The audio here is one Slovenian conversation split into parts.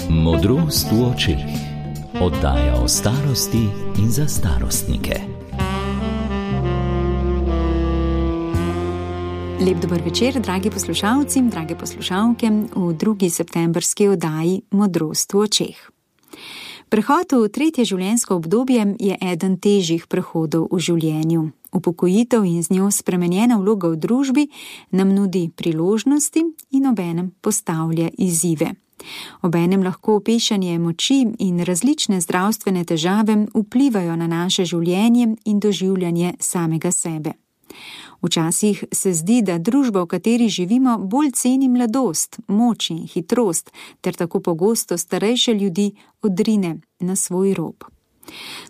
Modrost v očeh. Oddaja o starosti in za starostnike. Lep dober večer, dragi poslušalci in drage poslušalke, v drugi septembrski oddaji Modrost v očeh. Prehod v tretje življenjsko obdobje je eden težjih prehodov v življenju. Upokojitev in z njo spremenjena vloga v družbi nam nudi priložnosti in obenem postavlja izzive. Obenem lahko opešanje moči in različne zdravstvene težave vplivajo na naše življenje in doživljanje samega sebe. Včasih se zdi, da družba, v kateri živimo, bolj ceni mladost, moč in hitrost, ter tako pogosto starejše ljudi odrine na svoj rob.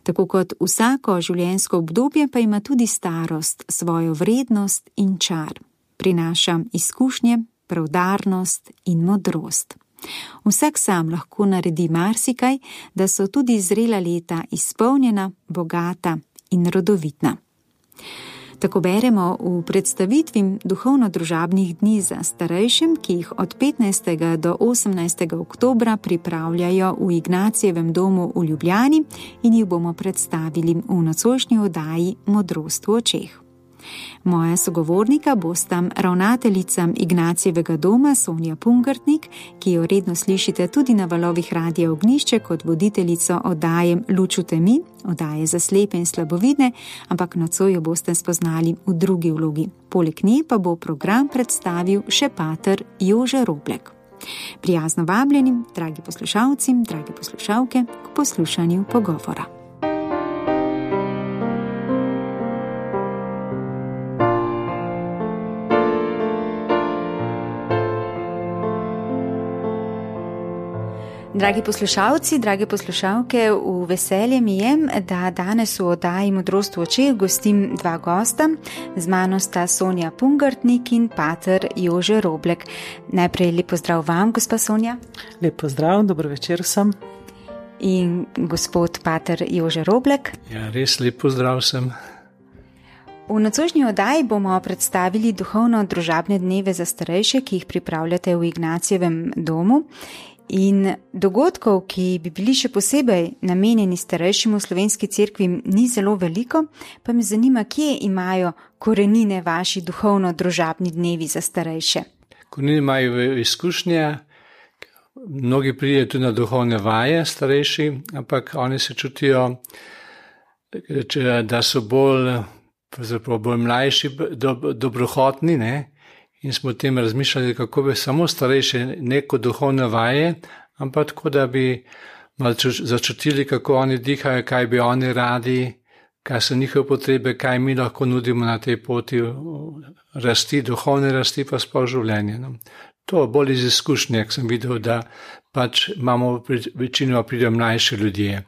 Tako kot vsako življenjsko obdobje pa ima tudi starost svojo vrednost in čar. Prinaša izkušnje, preudarnost in modrost. Vsak sam lahko naredi marsikaj, da so tudi zrela leta izpolnjena, bogata in rodovitna. Tako beremo v predstavitvi duhovno-družabnih dni za starejšim, ki jih od 15. do 18. oktobra pripravljajo v Ignacijevem domu v Ljubljani in jih bomo predstavili v nocojšnji oddaji Modrost v očeh. Moja sogovornika bosta ravnateljica Ignacijevega doma Sonja Pungartnik, ki jo redno slišite tudi na valovih Radia Ognjišče kot voditeljico oddaje Luč v temi, oddaje za slepe in slabovidne, ampak nocoj jo boste spoznali v drugi vlogi. Poleg nje pa bo program predstavil še pater Jože Roblek. Prijazno vabljeni, dragi poslušalci, drage poslušalke, k poslušanju pogovora. Dragi poslušalci, drage poslušalke, v veselje mi je, da danes v oddaji Modrost v očeh gostim dva gosta. Z mano sta Sonja Pungartnik in pater Jože Roblek. Najprej lep pozdrav vam, gospa Sonja. Lep pozdrav, dobro večer vsem. In gospod pater Jože Roblek. Ja, res lep pozdrav vsem. V nocojšnji oddaji bomo predstavili duhovno-družabne dneve za starejše, ki jih pripravljate v Ignacijevem domu. In dogodkov, ki bi bili še posebej namenjeni starejšim v Slovenski cerkvi, ni zelo veliko, pa me zanima, kje imajo korenine vaši duhovno-družabni dnevi za starejše. Korenine imajo izkušnje, mnogi pridejo tudi na duhovne vaje starejši, ampak oni se čutijo, da so bolj mlajši, dobrohotni, ne? In smo o tem razmišljali, kako bi samo starejše neko duhovne vaje, ampak tako, da bi malo začutili, kako oni dihajo, kaj bi oni radi, kaj so njihove potrebe, kaj mi lahko nudimo na tej poti rasti, duhovne rasti pa sploh življenje. No. To bolj iz izkušnje, jak sem videl, da pač imamo večino pridejo mlajši ljudje,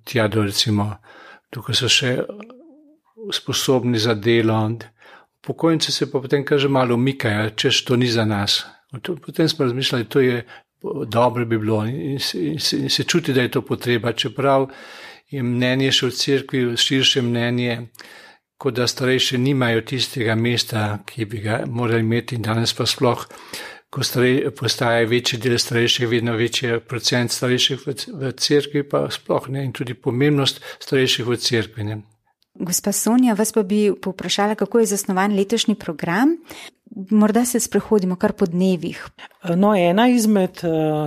tja do recimo, tukaj so še sposobni za delo. Pokojnici se pa potem kaže malo umikajo, češ to ni za nas. Potem smo razmišljali, to je dobro bi bilo in se čuti, da je to potreba, čeprav je mnenje še v cerkvi, širše mnenje, kot da starejši nimajo tistega mesta, ki bi ga morali imeti. Danes pa sploh, ko postaje večji del starejših, vedno večji procent starejših v cerkvi, pa sploh ne, in tudi pomembnost starejših v cerkvi, ne. Gospa Sonja, vas pa bi povprašala, kako je zasnovan letošnji program. Morda se sprehodimo kar po dnevih. No, ena izmed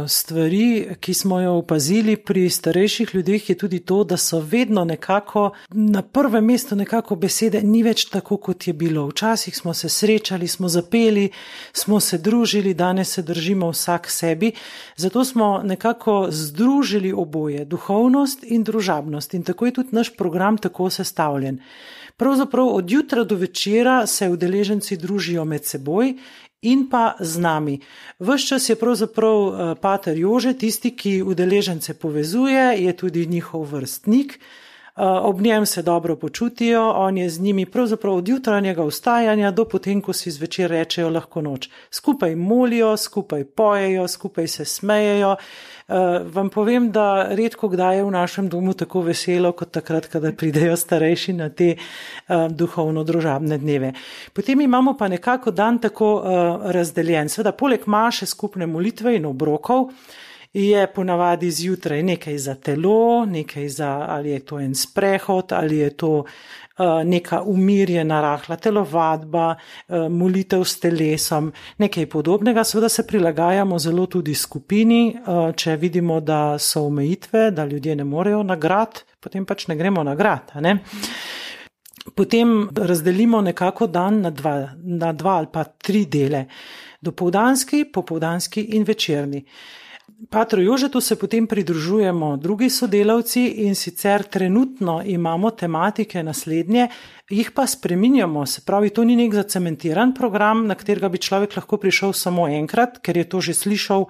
stvari, ki smo jo opazili pri starejših ljudeh, je tudi to, da so vedno nekako na prvem mestu nekako besede ni več tako, kot je bilo. Včasih smo se srečali, smo zapeli, smo se družili, danes se držimo vsak sebi. Zato smo nekako združili oboje, duhovnost in družabnost. In tako je tudi naš program tako sestavljen. Pravzaprav od jutra do večera se udeleženci družijo med seboj in pa z nami. Ves čas je pravzaprav pater Jože tisti, ki udeležence povezuje, je tudi njihov vrstnik. Ob njem se dobro počutijo, on je z njimi pravzaprav od jutranjega vstajanja do potem, ko si zvečer rečejo lahko noč. Skupaj molijo, skupaj pojejo, skupaj se smejejo. Vam povem, da redko kdaj je v našem domu tako veselo, kot takrat, kada pridejo starejši na te duhovno-družabne dneve. Potem imamo pa nekako dan tako razdeljen. Seveda, poleg maše skupne molitve in obrokov, je ponavadi zjutraj nekaj za telo, nekaj ali je to en sprehod, ali je to neka umirjena, rahla telovadba, molitev s telesom, nekaj podobnega. Seveda se prilagajamo zelo tudi skupini, če vidimo, da so omejitve, da ljudje ne morejo na grad, potem pač ne gremo na grad, a ne? Potem razdelimo nekako dan na dva ali pa 3 dele. Dopoldanski, popoldanski in večerni. Patru Jožetu se potem pridružujemo drugi sodelavci in sicer trenutno imamo tematike naslednje, jih pa spreminjamo, se pravi, to ni nek zacementiran program, na katerega bi človek lahko prišel samo enkrat, ker je to že slišal,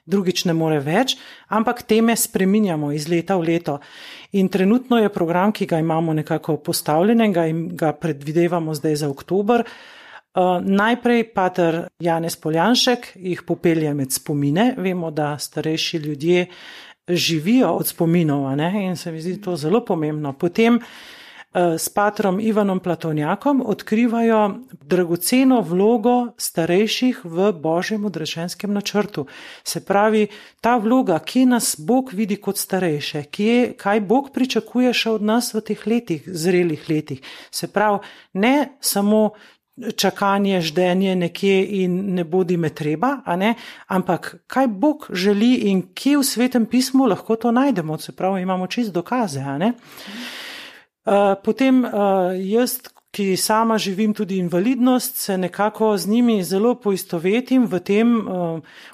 drugič ne more več, ampak teme spreminjamo iz leta v leto. In trenutno je program, ki ga imamo nekako postavljenega in ga predvidevamo zdaj za oktober. Najprej pater Janez Poljanšek jih popelje med spomine. Vemo, da starejši ljudje živijo od spominov, ne? In se mi zdi to zelo pomembno. Potem s patrom Ivanom Platonjakom odkrivajo dragoceno vlogo starejših v Božjem odrešenskem načrtu. Se pravi, ta vloga, kje nas Bog vidi kot starejše, kaj Bog pričakuje še od nas v teh letih, zrelih letih. Se pravi, ne samo čakanje, ždenje nekje in ne bodi me treba, a ne? Ampak kaj Bog želi in kje v Svetem pismu lahko to najdemo, se pravi, imamo čist dokaze, a ne? Potem jaz, ki sama živim tudi invalidnost, se nekako z njimi zelo poistovetim v tem,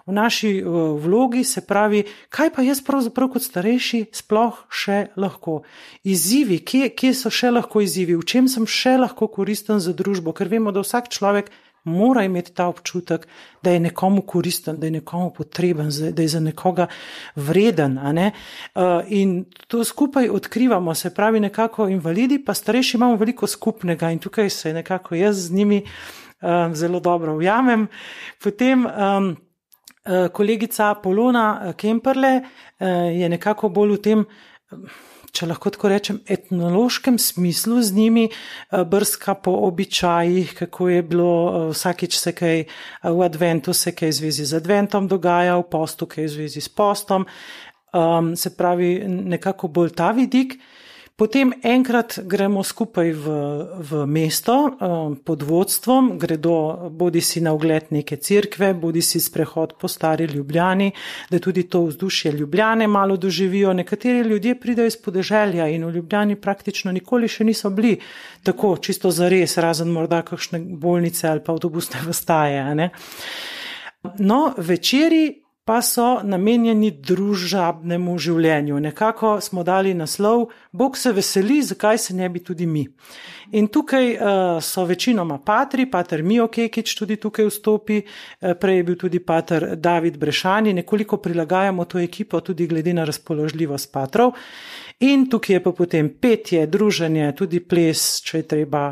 v naši vlogi, se pravi, kaj pa jaz pravzaprav kot starejši sploh še lahko. Izzivi, kje so še lahko izzivi, v čem sem še lahko koristen za družbo, ker vemo, da vsak človek mora imeti ta občutek, da je nekomu koristen, da je nekomu potreben, da je za nekoga vreden, a ne? In to skupaj odkrivamo, se pravi nekako invalidi, pa starejši imamo veliko skupnega in tukaj se nekako jaz z njimi zelo dobro ujamem. Potem kolegica Polona Kemperle je nekako bolj v tem, če lahko tako rečem, etnološkem smislu z njimi, brska po običajih, kako je bilo vsakič se kaj v adventu, se kaj v zvezi z adventom dogaja, v postu kaj v zvezi s postom, se pravi nekako bolj ta vidik. Potem enkrat gremo skupaj v mesto pod vodstvom, gredo bodi si na ogled neke cerkve, bodi si sprehod po stari Ljubljani, da tudi to vzdušje Ljubljane malo doživijo. Nekateri ljudje pridejo iz podeželja in v Ljubljani praktično nikoli še niso bili tako čisto zares, razen morda kakšne bolnice ali pa avtobusne postaje, ne? No, večeri pa so namenjeni družabnemu življenju. Nekako smo dali naslov, Bog se veseli, zakaj se ne bi tudi mi. In tukaj so večinoma patri, pater Mijo Kekič tudi tukaj vstopi, prej je bil tudi pater David Brešani, nekoliko prilagajamo to ekipo tudi glede na razpoložljivost patrov. In tukaj je pa potem petje, druženje, tudi ples, če je treba,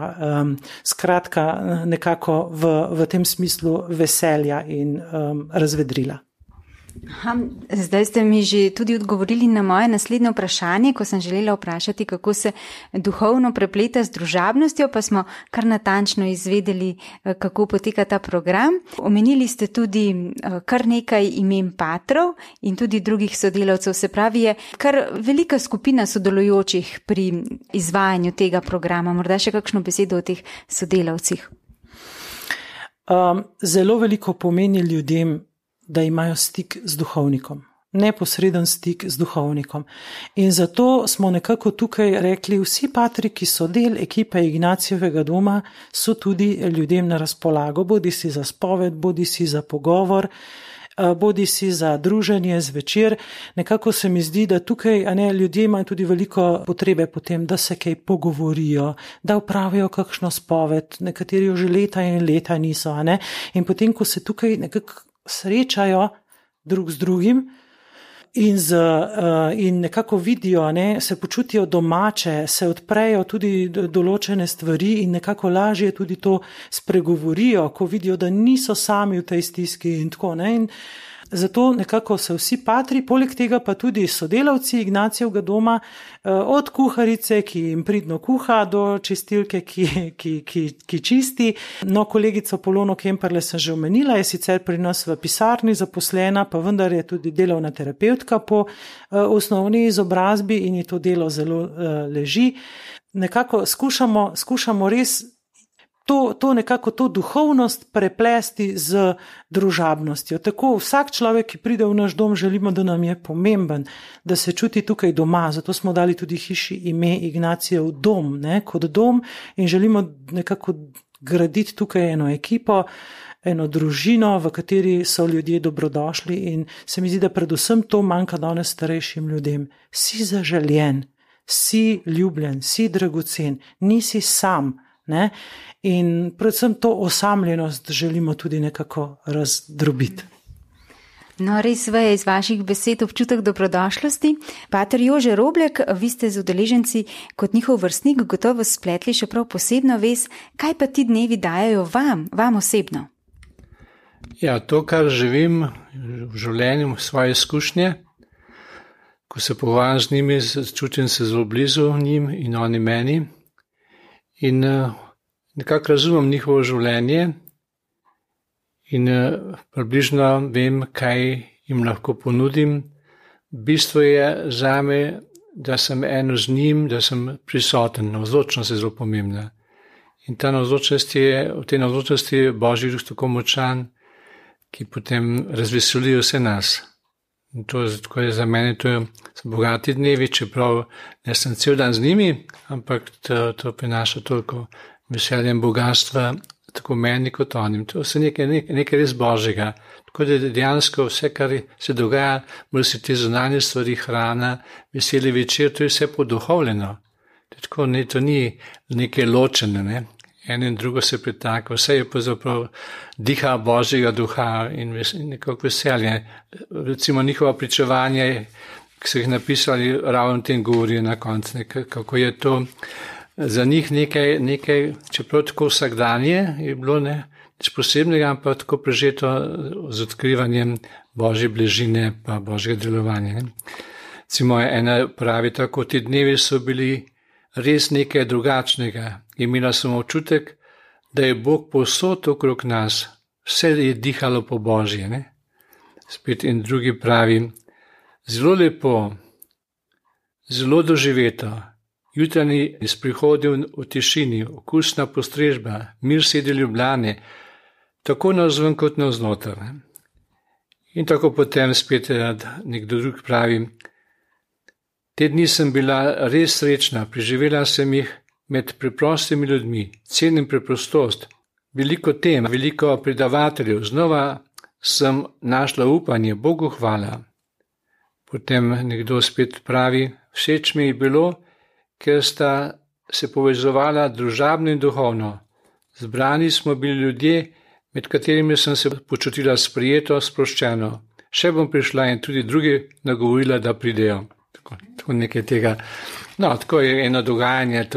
skratka nekako v tem smislu veselja in razvedrila. Zdaj ste mi že tudi odgovorili na moje naslednje vprašanje, ko sem želela vprašati, kako se duhovno prepleta z družabnostjo, pa smo kar natančno izvedeli, kako poteka ta program. Omenili ste tudi kar nekaj imen patrov in tudi drugih sodelavcev, se pravi je kar velika skupina sodelujočih pri izvajanju tega programa. Morda še kakšno besedo o teh sodelavcih? Zelo veliko pomeni ljudem, da imajo stik z duhovnikom, neposreden stik z duhovnikom. In zato smo nekako tukaj rekli, vsi patri, ki so del ekipe Ignacijevega doma, so tudi ljudem na razpolago, bodi si za spoved, bodi si za pogovor, bodi si za druženje zvečer. Nekako se mi zdi, da tukaj ljudje imajo tudi veliko potrebe potem, da se kaj pogovorijo, da opravijo kakšno spoved, nekateri jo že leta in leta niso, a ne? In potem, ko se tukaj nekako srečajo drug z drugim in nekako vidijo, ne, se počutijo domače, se odprejo tudi določene stvari in nekako lažje tudi to spregovorijo, ko vidijo, da niso sami v tej stiski in tako, ne. In zato nekako se vsi patri, poleg tega pa tudi sodelavci Ignacijevega doma, od kuharice, ki jim pridno kuha, do čistilke, ki čisti. No, kolegico Polono Kemperle sem že omenila, je sicer pri nas v pisarni zaposlena, pa vendar je tudi delovna terapevtka po osnovni izobrazbi in ji to delo zelo leži. Nekako skušamo res to duhovnost preplesti z družabnostjo. Tako vsak človek, ki pride v naš dom, želimo, da nam je pomemben, da se čuti tukaj doma. Zato smo dali tudi hiši ime Ignacijev dom, kot dom, in želimo nekako graditi tukaj eno ekipo, eno družino, v kateri so ljudje dobrodošli, in se mi zdi, da predvsem to manjka danes starejšim ljudem. Si zaželjen, si ljubljen, si dragocen, nisi sam, ne? In predvsem to osamljenost želimo tudi nekako razdrobiti. No, res je iz vaših besed občutek dobrodošlosti. Pater Jože Roblek, vi ste z udeleženci kot njihov vrstnik gotovo spletli še prav posebno vez. Kaj pa ti dnevi dajajo vam osebno? Ja, to, kar živim v življenju, svoje izkušnje, ko se pogovarjam z njimi, čutim se zelo blizu njim in oni meni. In nekako razumem njihovo življenje in približno vem, kaj jim lahko ponudim. Bistvo je zame, da sem eno z njim, da sem prisoten, navzočnost je zelo pomembna. In v tej navzočnosti je Božji duh tako močan, ki potem razveseli vse nas. In to je za mene, so bogati dnevi, čeprav ne sem cel dan z njimi, ampak to prinaša toliko veselja in bogatstva, tako meni kot onim. To je nekaj res Božjega. Tako da dejansko vse, kar se dogaja, mora se te zunanje stvari, hrana, veseli večer, to je vse poduhovljeno. To ni nekaj ločene, ne? Eno in drugo se pretaka, vse je pravzaprav diha Božjega duha in nekako veselje. Recimo njihova pričevanja, ki so jih napisali, ravno tem govorijo na koncu, kako je to za njih nekaj, čeprav tako vsakdanje je bilo nič posebnega, ampak tako prežeto z odkrivanjem Božje bližine pa Božjega delovanja. Recimo ena pravi tako, ti dnevi so bili res nekaj drugačnega. Imela sem občutek, da je Bog povsod okrog nas, vse je dihalo po Božje. Ne? Spet in drugi pravi, zelo lepo, zelo doživeto, jutranji sprehodil v tišini, okusna postrežba, mir sedi Ljubljane, tako navzven kot navznoter. In tako potem spet nekdo drug pravi, te dni sem bila res srečna, preživela sem jih med preprostimi ljudmi, cenim preprostost, veliko tem, veliko predavateljev, znova sem našla upanje, Bogu hvala. Potem nekdo spet pravi, všeč mi je bilo, ker sta se povezovala družabno in duhovno. Zbrani smo bili ljudje, med katerimi sem se počutila sprijeto, sproščeno. Še bom prišla in tudi drugi nagovorila, da pridejo. Tako nekaj tega. No, tako je eno dogajanje,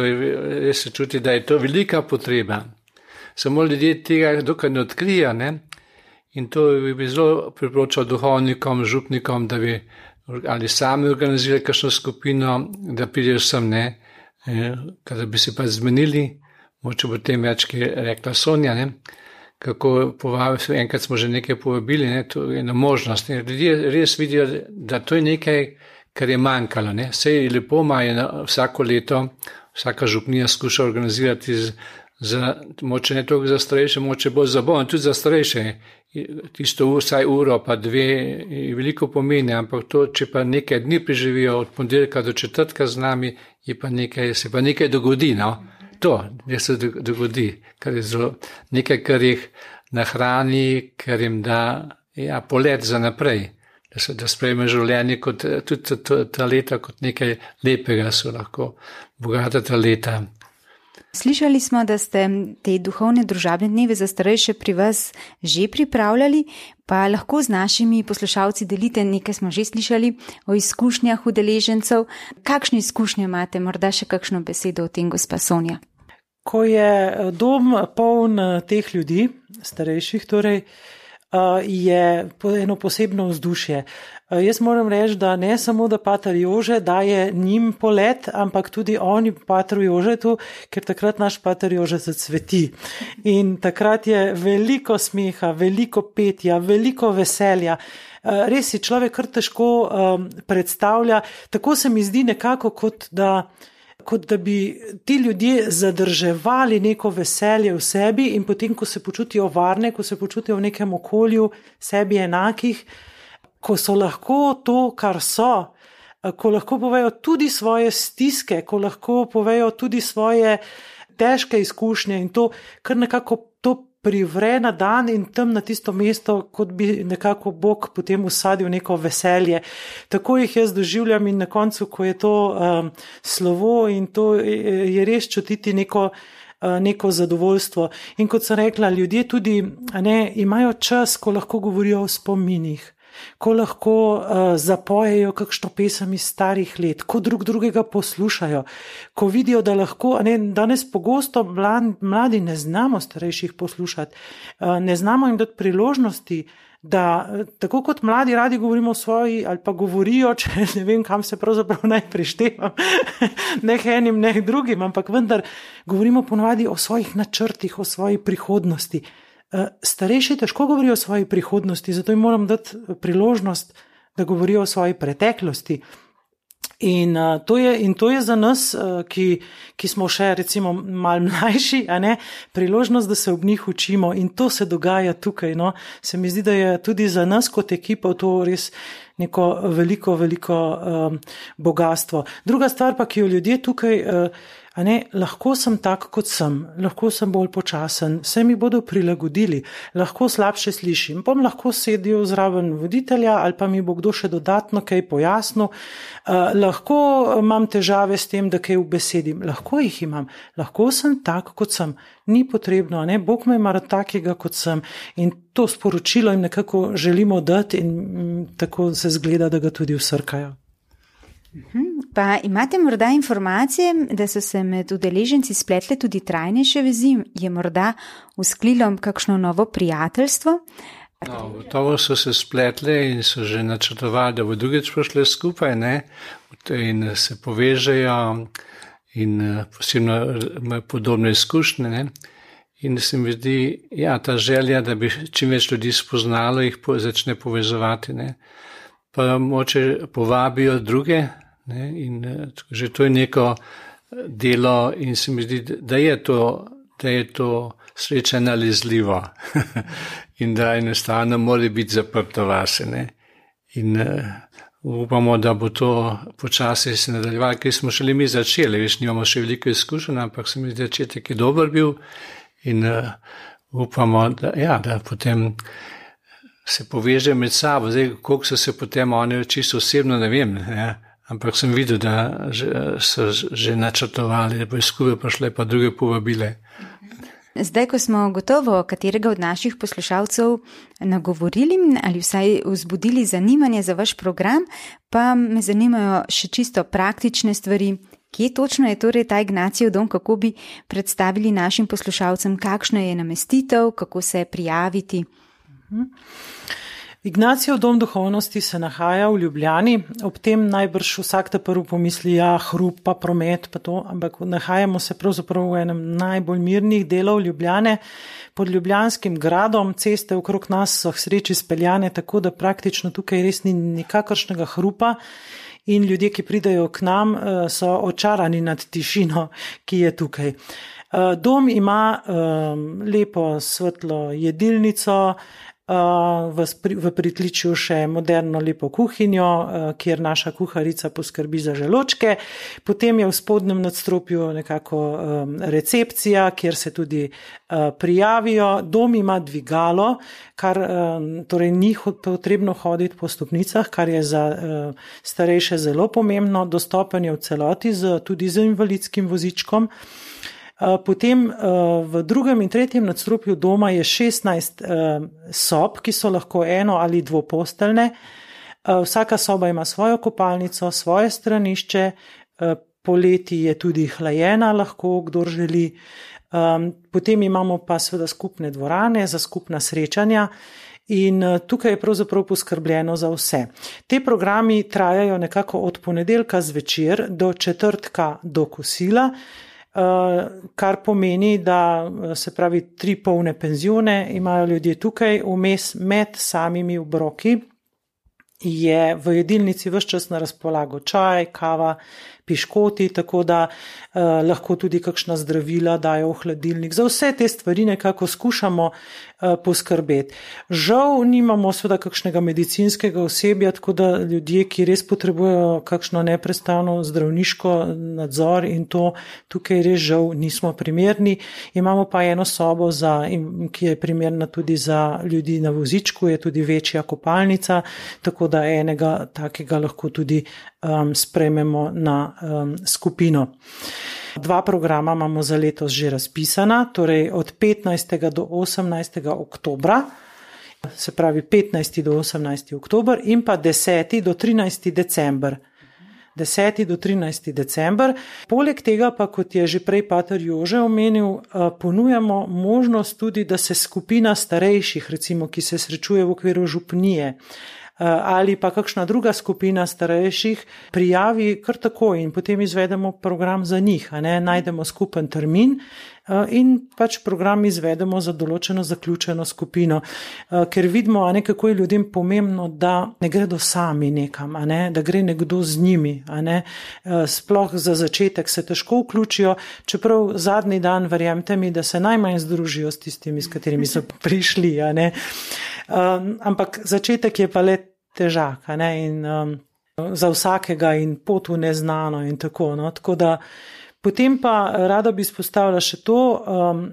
res se čuti, da je to velika potreba. Samo ljudje tega dokaj ne odkrija, ne? In to bi zelo priporočal duhovnikom, župnikom, da bi ali sami organizirali kakšno skupino, da pridejo sem, ne? Kada bi se pa zmenili, moče bo tem več, ki je rekla Sonja, ne? Kako povabili, enkrat smo že nekaj povabili, ne? To je ena možnost. Ne? Ljudje res vidijo, da to je nekaj, kar je manjkalo. Sej lepo imajo vsako leto, vsaka župnija skuša organizirati moče ne toliko za starejše, moče bolj za bolj, tudi za starejše. Tisto vsaj uro pa dve veliko pomeni, ampak to, če pa nekaj dni preživijo od ponedeljka do četrtka z nami, se pa nekaj dogodi. No? To, da se dogodi, kar je zelo nekaj, kar jih nahrani, kar jim da polet za naprej. Da sprejme življenje kot tudi ta leta kot nekaj lepega, so lahko bogata ta leta. Slišali smo, da ste te duhovne družabne dneve za starejše pri vas že pripravljali, pa lahko z našimi poslušalci delite, nekaj smo že slišali o izkušnjah udeležencev. Kakšne izkušnje imate, morda še kakšno besedo o tem, gospa Sonja? Ko je dom poln teh ljudi, starejših torej, je eno posebno vzdušje. Jaz moram reči, da ne samo, da pater Jože daje njim polet, ampak tudi oni patru Jožetu, ker takrat naš pater Jože zacveti. In takrat je veliko smeha, veliko petja, veliko veselja. Res si človek kar težko predstavlja. Tako se mi zdi nekako, kot da bi ti ljudje zadrževali neko veselje v sebi in potem, ko se počutijo varne, ko se počutijo v nekem okolju sebi enakih, ko so lahko to, kar so, ko lahko povejo tudi svoje stiske, ko lahko povejo tudi svoje težke izkušnje in to kar nekako to privre na dan in tam na tisto mesto, kot bi nekako Bog potem usadil neko veselje. Tako jih jaz doživljam in na koncu, ko je to slovo in to je res čutiti neko zadovoljstvo. In kot sem rekla, ljudje tudi imajo čas, ko lahko govorijo o spominih, ko lahko zapojejo kakšno pesem iz starih let, ko drugega poslušajo, ko vidijo, da lahko, danes pogosto mladi ne znamo starejših poslušati, ne znamo jim dati priložnosti, da tako kot mladi radi govorimo o svoji, ali pa govorijo, če ne vem, kam se pravzaprav naj prištevam, ne enim, ne drugim, ampak vendar govorimo ponovadi o svojih načrtih, o svoji prihodnosti. Starejši težko govorijo o svoji prihodnosti, zato jim moram dati priložnost, da govorijo o svoji preteklosti. In to je za nas, ki smo še recimo malo mlajši, priložnost, da se ob njih učimo in to se dogaja tukaj. Se mi zdi, da je tudi za nas kot ekipa to res neko veliko bogatstvo. Druga stvar pa, ki jo ljudje tukaj lahko sem tak, kot sem, lahko sem bolj počasen, se mi bodo prilagodili, lahko slabše slišim, bom lahko sedel zraven voditelja ali pa mi bo kdo še dodatno kaj pojasnil, lahko imam težave s tem, da kaj ubesedim, lahko jih imam, lahko sem tak, kot sem, ni potrebno, Bog me ima rad takega, kot sem in to sporočilo jim nekako želimo dati in tako se zgleda, da ga tudi vsrkajo. Pa imate morda informacije, da so se med udeleženci spletle tudi trajnejše vezi? Je morda vzklilo kakšno novo prijateljstvo? Gotovo so se spletle in so že načrtovali, da bo drugič prišle skupaj, in se povežejo in posebno imajo podobne izkušnje. In se mi zdi, ta želja, da bi čim več ljudi spoznalo, jih začne povezovati. Pa moče povabijo druge, in že to je neko delo in se mi zdi, da je to sreča nalezljivo in da enostavno mora biti zaprto vase. In upamo, da bo to počasi se nadaljevalo, ker smo šele mi začeli, nimamo še veliko izkušenj, ampak se mi zdi, začetek je dober bil in upamo, da potem se poveže med sabo. Zdaj, koliko so se potem oni čisto osebno, ne vem, ampak sem videl, da so že načrtovali, da bo skupaj prišle pa druge povabile. Zdaj, ko smo gotovo katerega od naših poslušalcev nagovorili ali vsaj vzbudili zanimanje za vaš program, pa me zanimajo še čisto praktične stvari. Kje točno je torej ta Ignacijev dom, kako bi predstavili našim poslušalcem, kakšna je namestitev, kako se prijaviti? Ignacijev dom duhovnosti se nahaja v Ljubljani, ob tem najbrž vsak ta prvi pomisli, hrup pa promet pa to, ampak nahajamo se pravzaprav v enem najbolj mirnih delov Ljubljane, pod Ljubljanskim gradom. Ceste okrog nas so k sreči speljane tako, da praktično tukaj res ni nikakršnega hrupa in ljudje, ki pridejo k nam, so očarani nad tišino, ki je tukaj. Dom ima lepo svetlo jedilnico, v pritličju še moderno lepo kuhinjo, kjer naša kuharica poskrbi za želočke. Potem je v spodnjem nadstropju nekako recepcija, kjer se tudi prijavijo. Dom ima dvigalo, kar torej ni potrebno hoditi po stopnicah, kar je za starejše zelo pomembno. Dostopen je v celoti tudi z invalidskim vozičkom. Potem v drugem in tretjem nadstropju doma je 16 sob, ki so lahko eno ali dvoposteljne. Vsaka soba ima svojo kopalnico, svoje stranišče, poleti je tudi hlajena, lahko kdor želi. Potem imamo pa seveda skupne dvorane za skupna srečanja In tukaj je pravzaprav poskrbljeno za vse. Te programi trajajo nekako od ponedeljka zvečer do četrtka do kosila, kar pomeni, da se pravi 3 polne penzione imajo ljudje tukaj, vmes med samimi obroki je v jedilnici ves čas na razpolago čaj, kava, piškoti, tako da lahko tudi kakšna zdravila dajo v hladilnik. Za vse te stvari nekako skušamo poskrbeti. Žal nimamo seveda kakšnega medicinskega osebja, tako da ljudje, ki res potrebujejo kakšno neprestano zdravniško nadzor in to tukaj res žal nismo primerni. Imamo pa eno sobo, ki je primerna tudi za ljudi na vozičku, je tudi večja kopalnica, tako da enega takega lahko tudi sprejmemo na skupino. 2 programa imamo za letos že razpisana, torej od 15. do 18. oktobra, se pravi 15. do 18. oktober in pa 10. do 13. december. 10. do 13. december. Poleg tega pa, kot je že prej pater Jože omenil, ponujamo možnost tudi, da se skupina starejših, recimo, ki se srečuje v okviru župnije, ali pa kakšna druga skupina starejših prijavi kar tako in potem izvedemo program za njih, najdemo skupen termin in pač program izvedemo za določeno zaključeno skupino, ker vidimo, kako je ljudem pomembno, da ne gredo sami nekam, da gre nekdo z njimi, sploh za začetek se težko vključijo, čeprav zadnji dan, verjemite mi, da se najmanj združijo s tistimi, s katerimi so prišli, ampak začetek je pa le težak, in za vsakega in pot v neznano in tako, tako da potem pa rada bi izpostavila še to,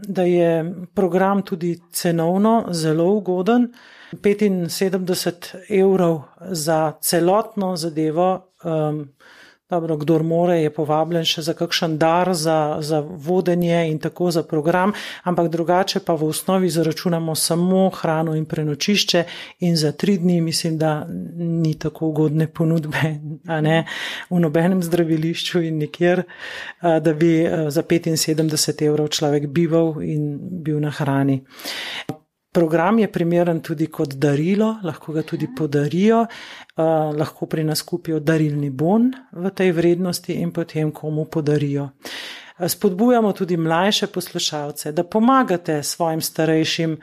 da je program tudi cenovno zelo ugoden, 75 € za celotno zadevo, dobro, kdor more, je povabljen še za kakšen dar, za vodenje in tako za program, ampak drugače pa v osnovi zaračunamo samo hrano in prenočišče in za 3 dni mislim, da ni tako ugodne ponudbe, v nobenem zdravilišču in nikjer, da bi za 75 € človek bival in bil na hrani. Program je primeren tudi kot darilo, lahko ga tudi podarijo, lahko pri nas kupijo darilni bon v tej vrednosti in potem komu podarijo. Spodbujamo tudi mlajše poslušalce, da pomagate svojim starejšim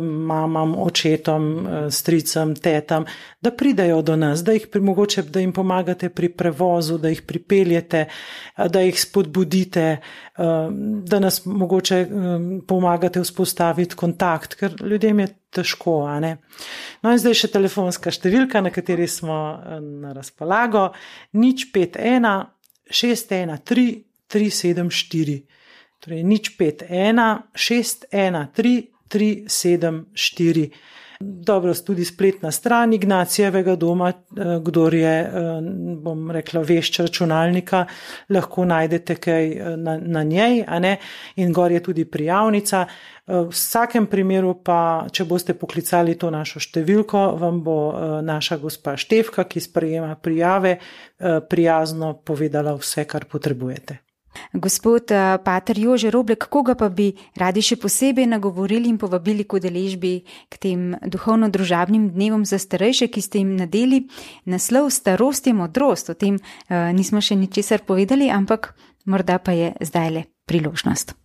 mamam, očetom, stricam, tetam, da pridejo do nas, da jim pomagate pri prevozu, da jih pripeljete, da jih spodbudite, da nas mogoče pomagate vzpostaviti kontakt, ker ljudem je težko, No in zdaj še telefonska številka, na kateri smo na razpolago, 051 613 374, torej 051 613 374. Dobro, tudi spletna stran Ignacijevega doma, kdor je, bom rekla, vešč računalnika, lahko najdete kaj na njej, in gor je tudi prijavnica. V vsakem primeru pa, če boste poklicali to našo številko, vam bo naša gospa Štefka, ki sprejema prijave, prijazno povedala vse, kar potrebujete. Gospod pater Jože Roblek, koga pa bi radi še posebej nagovorili in povabili k udeležbi k tem duhovno-družabnim dnevom za starejše, ki ste jim nadeli naslov Starost je modrost? O tem nismo še ničesar povedali, ampak morda pa je zdajle priložnost.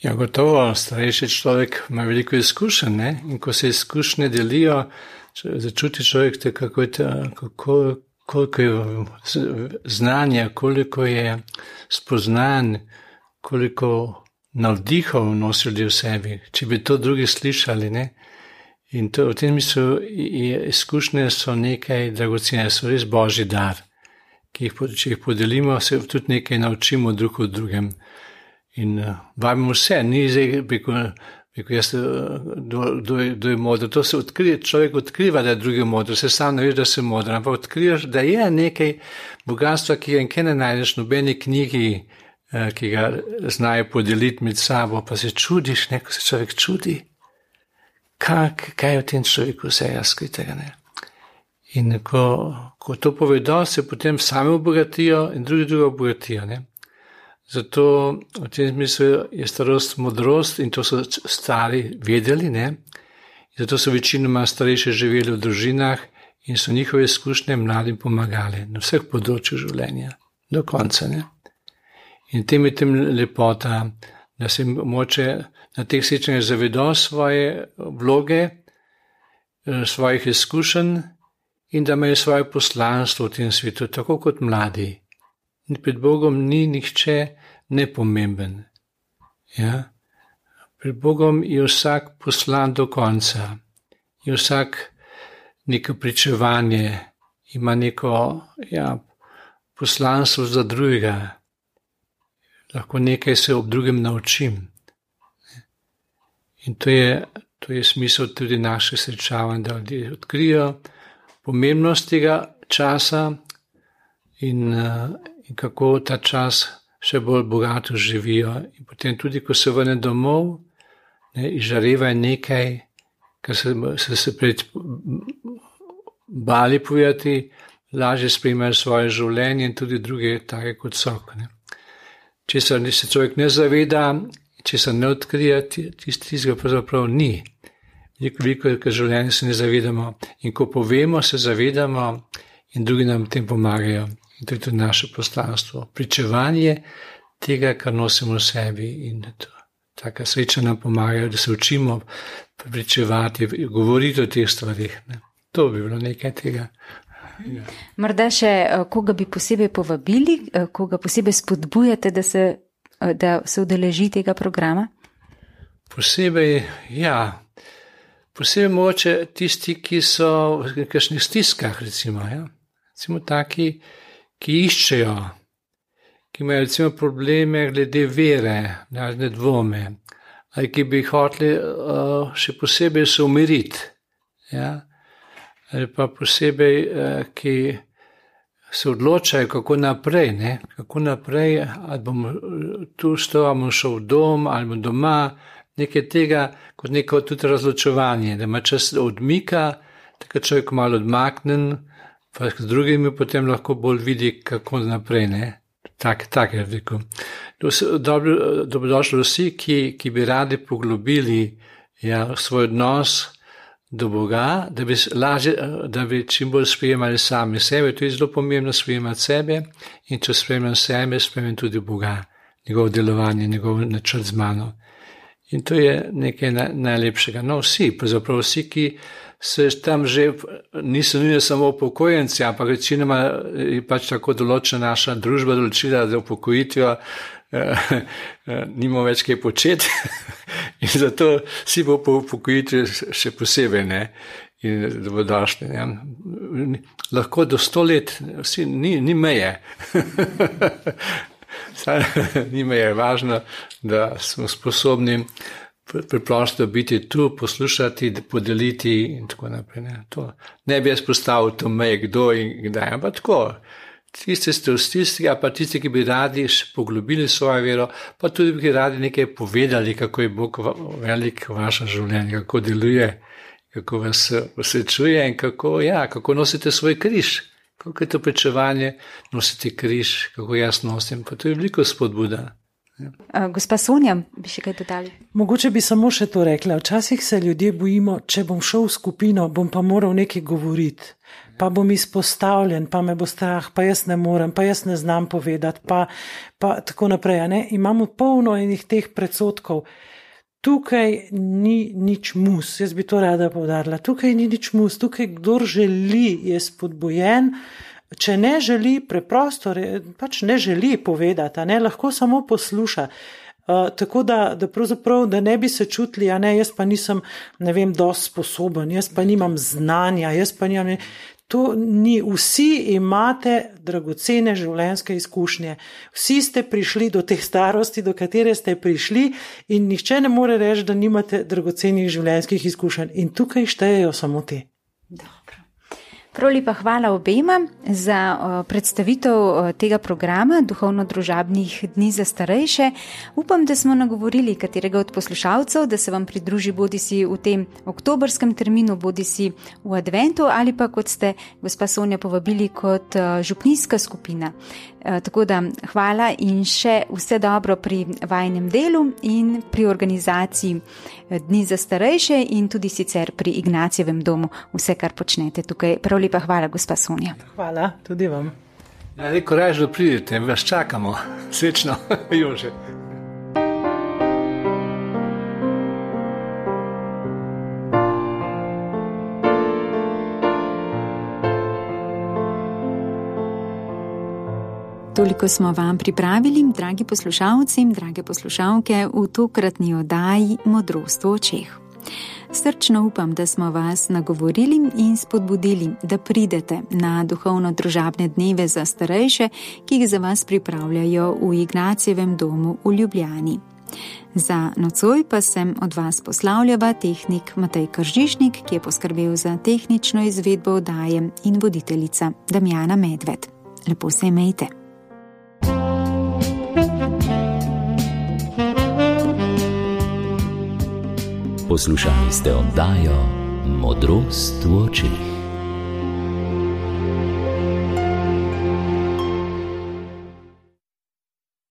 Ja, gotovo, starejši človek ima veliko izkušenj, in ko se izkušnje delijo, začuti človek, koliko je znanja, koliko je spoznan, koliko navdihov nosili v sebi, če bi to drugi slišali, In to, v tem mislu, izkušnje so nekaj dragocene, so res božji dar, če jih podelimo, se tudi nekaj naučimo drug od drugem. In vabimo vse, ni zdaj, kdo je modr, to se odkrije, človek odkriva, da je drugi modr, se sam ne veš, da se modr, ampak odkriješ, da je nekaj bogatstva, ki ga nikjer ne najdeš v nobeni knjigi, ki ga znajo podeliti med sabo, pa se čudiš, ko se človek čudi, kaj je v tem človeku vse razkritega. In ko to povedo, se potem sami obogatijo in drugi obogatijo. Zato v tem smislu je starost modrost in to so stari vedeli, in Zato so večinoma starejši živeli v družinah in so njihove izkušnje mladim pomagali na vseh področjih življenja, do konca. Ne? In tem je tem lepota, da se moče na teh srečanjih zavedo svoje vloge, svojih izkušenj in da imajo svoje poslanstvo v tem svetu, tako kot mladi. Pred Bogom ni nihče nepomemben. Ja? Pred Bogom je vsak poslan do konca. Je vsak neko pričevanje, ima neko poslanstvo za drugega. Lahko nekaj se ob drugem naučim. In to je smisel tudi naših srečavanj, da ljudje odkrijo pomembnost tega časa in kako ta čas še bolj bogato živijo. In potem tudi, ko se vrne domov, izžareva nekaj, kar so se pred bali povedati, lažje sprejmejo svoje življenje in tudi druge take kot so. Česar se človek ne zaveda, česar ne odkrije, tistega pravzaprav ni. Veliko je, ker življenje se ne zavedamo. In ko povemo, se zavedamo in drugi nam tem pomagajo. In to je tudi naše poslanstvo. Pričevanje tega, kar nosimo v sebi. In taka sreča nam pomagajo, da se učimo pričevati, govoriti o teh stvarih. To bi bilo nekaj tega. Ja. Morda še koga bi posebej povabili, koga posebej spodbujate, da se udeleži tega programa? Posebej moče tisti, ki so v kakšnih stiskah, recimo. Recimo taki, ki iščejo, ki imajo recimo probleme glede vere, razne dvome, ali ki bi hoteli še posebej se umiriti. Ali pa posebej, ki se odločajo, kako naprej, kako naprej, ali bomo tu ali bomo šel v dom, ali bomo doma, nekaj tega, kot neko tudi razločevanje, da ima čas odmika, tako človek malo odmaknen, pa z drugimi potem lahko bolj vidi, kako naprej, Tak je rekel. Dobrodošli vsi, ki bi radi poglobili svoj odnos do Boga, da bi čim bolj sprejemali sami sebe. To je zelo pomembno sprejemati sebe in če sprejemam sebe, sprejemam tudi Boga, njegovo delovanje, njegov načrt z mano. In to je nekaj najlepšega. Pravzaprav vsi, ki se tam že niso nujno samo upokojenci, ampak večinoma je pač tako določena naša družba določila, da upokojitvijo nimamo več kaj početi in zato vsi bo po upokojitvi še posebej in dobrodošli. Lahko do 100 let, vsi, ni meje. Ni meje, važno, da smo sposobni preprosto biti tu, poslušati, podeliti in tako naprej. Ne bi jaz postavil to meje, kdo in kdaj, ampak tako. Tisti ste v stiski, pa tisti, ki bi radi poglobili svojo vero, pa tudi bi radi nekaj povedali, kako je Bog velik v vašem življenju, kako deluje, kako vas osrečuje in kako nosite svoj križ. Kako je to pričevanje, nositi križ, kako jaz nosim, pa to je veliko spodbuda. Gospa Sonja, bi še kaj dodali? Mogoče bi samo še to rekla. Včasih se ljudje bojimo, če bom šel v skupino, bom pa moral nekaj govoriti, pa bom izpostavljen, pa me bo strah, pa jaz ne morem, pa jaz ne znam povedati, pa tako naprej. Imamo polno enih teh predsotkov. Tukaj ni nič mus, jaz bi to rada poudarila. Tukaj ni nič mus, tukaj kdor želi je spodbujen. Če ne želi, preprosto, pač ne želi povedati, lahko samo posluša. Tako da pravzaprav, da ne bi se čutili, jaz pa nisem, dosti sposoben, jaz pa nimam znanja, jaz pa nimam. To ni, vsi imate dragocene življenjske izkušnje. Vsi ste prišli do te starosti, do katere ste prišli in nihče ne more reči, da nimate dragocenih življenjskih izkušenj. In tukaj štejejo samo te. Dobro. Prav lepa hvala obema za predstavitev tega programa Duhovno-družabnih dni za starejše. Upam, da smo nagovorili katerega od poslušalcev, da se vam pridruži bodisi v tem oktobrskem terminu, bodisi v adventu ali pa, kot ste gospa Sonja povabili, kot župnijska skupina. Tako da hvala in še vse dobro pri vajnem delu in pri organizaciji Dni za starejše in tudi sicer pri Ignacijevem domu, vse, kar počnete tukaj. Prav lepa hvala, gospa Sonja. Hvala, tudi vam. Ja, reko raje, da pridete, vas čakamo. Srečno, Jože. Toliko smo vam pripravili, dragi poslušalci in drage poslušalke, v tokratni oddaji Modrost v očeh. Srčno upam, da smo vas nagovorili in spodbudili, da pridete na duhovno-družabne dneve za starejše, ki jih za vas pripravljajo v Ignacijevem domu v Ljubljani. Za nocoj pa sem od vas poslavljava tehnik Matej Kržišnik, ki je poskrbel za tehnično izvedbo oddaje, in voditeljica Damjana Medved. Lepo se imejte. Poslušali ste oddajo Modrost v očeh.